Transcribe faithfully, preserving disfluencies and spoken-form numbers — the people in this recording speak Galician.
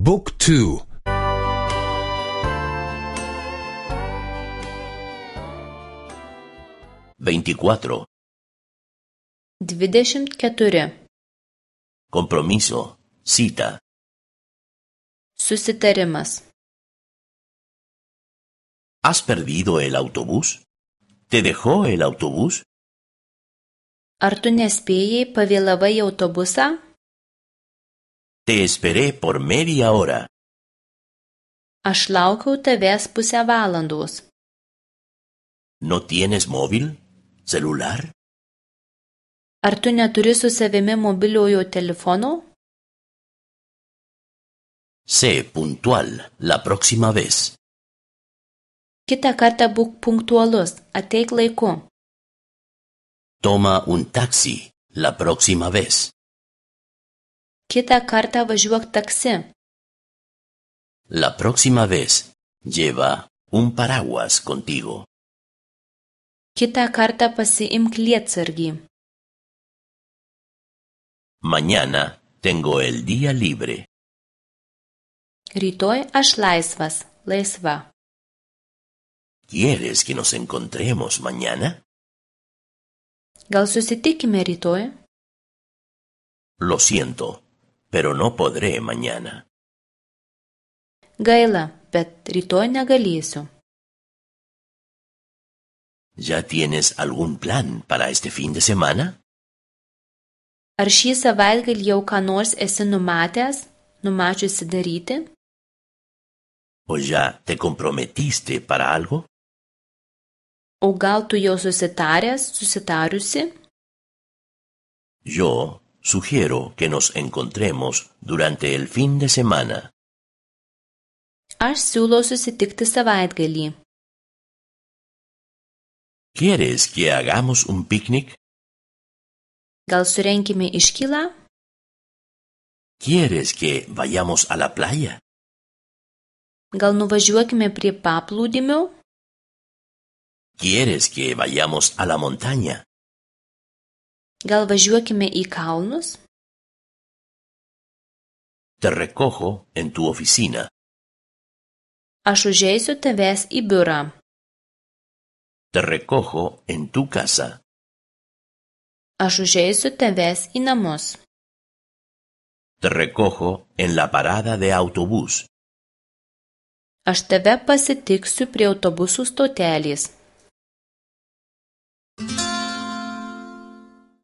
บุ๊กทูveinticuatro. Dvidešimt keturi. Compromiso. Cita. Susitarimas. ¿Has perdido el autobús? ¿Te dejó el autobús? Ar tu nespėjai, pavėlavai į autobusą? Te esperé por media hora. Aš laukiau tavęs pusę valandos. ¿No tienes móvil? ¿Celular? Ar tu neturi su savimi mobiliojo telefono? Sé puntual la próxima vez. Kitą kartą būk punktualus, ateik laiku. Toma un taxi la próxima vez. Kitą kartą važiuok taksi. La próxima vez lleva un paraguas contigo. Kitą kartą pasiimk lietsargį. Mañana tengo el día libre. Rytoj aš laisvas, laisva. ¿Quieres que nos encontremos mañana? Gal susitikime rytoj? Lo siento, pero no podré mañana. Gaila, bet rytoj negalėsiu. ¿Ya tienes algún plan para este fin de semana? Ar šį savaitgalį jau ką nors esi numatęs, numačiusi daryti? ¿O ya te comprometiste para algo? O gal tu jau susitaręs, susitariusi? Yo sugiero que nos encontremos durante el fin de semana. Aš siūlau susitikti savaitgalį. ¿Quieres que hagamos un picnic? Gal surenkime iškylą? ¿Quieres que vayamos a la playa? Gal nuvažiuokime prie paplūdimio? ¿Quieres que vayamos a la montaña? Gal važiuokime į kalnus? Te recojo en tu oficina. Aš užeisiu tavęs į biurą. Te recojo en tu casa. Aš užeisiu tavęs į namus. Te recojo en la parada de autobús. Aš tave pasitiksiu prie autobusų stotelės.